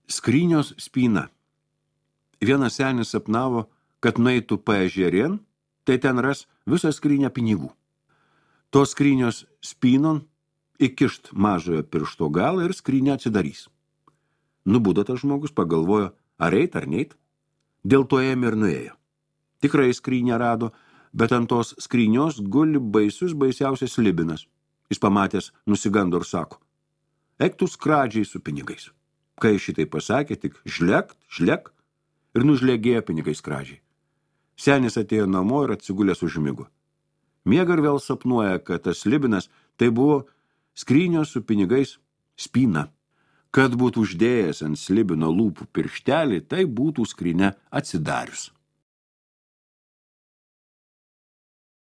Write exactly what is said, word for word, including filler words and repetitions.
Skrynios spyna. Vienas senis sapnavo, kad nueitų paežerien, tai ten ras visą skrynę pinigų. Tos skrynios spynon įkišt mažojo piršto galą ir skrynę atsidarys. Nubudo tas žmogus, pagalvojo, ar eit ar neit. Dėl to ėmė ir nuėjo. Tikrai skrynę rado, bet ant tos skrynios guli baisus baisiausias slibinas. Jis pamatęs nusigando ir sako, eik tu skradžiai su pinigais. Kai šitai pasakė, tik žlekt, žlek ir nužlegėjo pinigai skradžiai. Senis atėjo namo ir atsigulęs užmigo. Miega ir vėl sapnuoja, kad tas slibinas tai buvo skrynios su pinigais spyna. Kad būtų uždėjęs ant slibino lūpų pirštelį, tai būtų skrynia atsidarius.